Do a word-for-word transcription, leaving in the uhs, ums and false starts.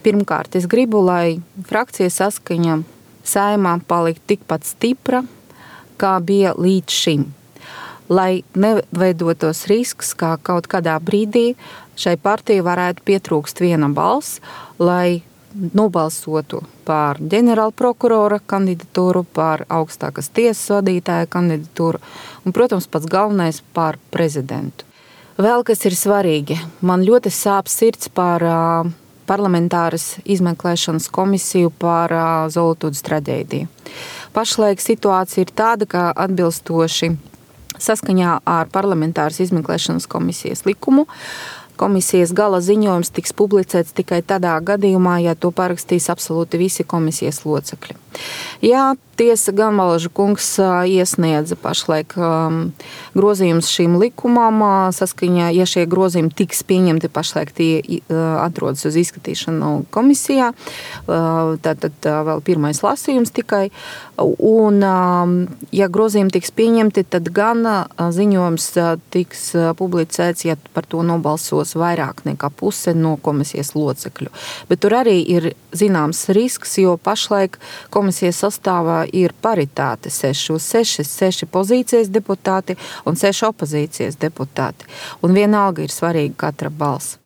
Pirmkārt, es gribu, lai frakcija Saskaņa Saeimā paliktu tikpat stipra, kā bija līdz šim. Lai neveidotos risks, kā kaut kādā brīdī šai partijai varētu pietrūkst viena balss, lai nobalsotu par ģenerāla prokurora kandidatūru, par augstākas tiesas vadītāja kandidatūru un, protams, pats galvenais par prezidentu. Vēl kas ir svarīgi, man ļoti sāp sirds par uh, parlamentāras izmeklēšanas komisiju par uh, Zoltūdas traģēdiju. Pašlaik situācija ir tāda, ka atbilstoši saskaņā ar parlamentāras izmeklēšanas komisijas likumu komisijas gala ziņojums tiks publicēts tikai tādā gadījumā, ja to parakstīs absolūti visi komisijas locekļi. Jā, tiesa gan Valaža kungs iesniedza pašlaik um, grozījums šīm likumam, saskaņā, ja šie grozījumi tiks pieņemti, pašlaik tie uh, atrodas uz izskatīšanu komisijā, uh, tātad uh, vēl pirmais lasījums tikai, un um, ja grozījumi tiks pieņemti, tad gan uh, ziņojums uh, tiks uh, publicēts, ja par to nobalsos vairāk nekā puse no komisijas locekļu. Bet tur arī ir zināms risks, jo pašlaik komisijas sastāvā ir paritāte seši uz seši, seši pozīcijas deputāti un seši opozīcijas deputāti. Un vienalga ir svarīga katra balss.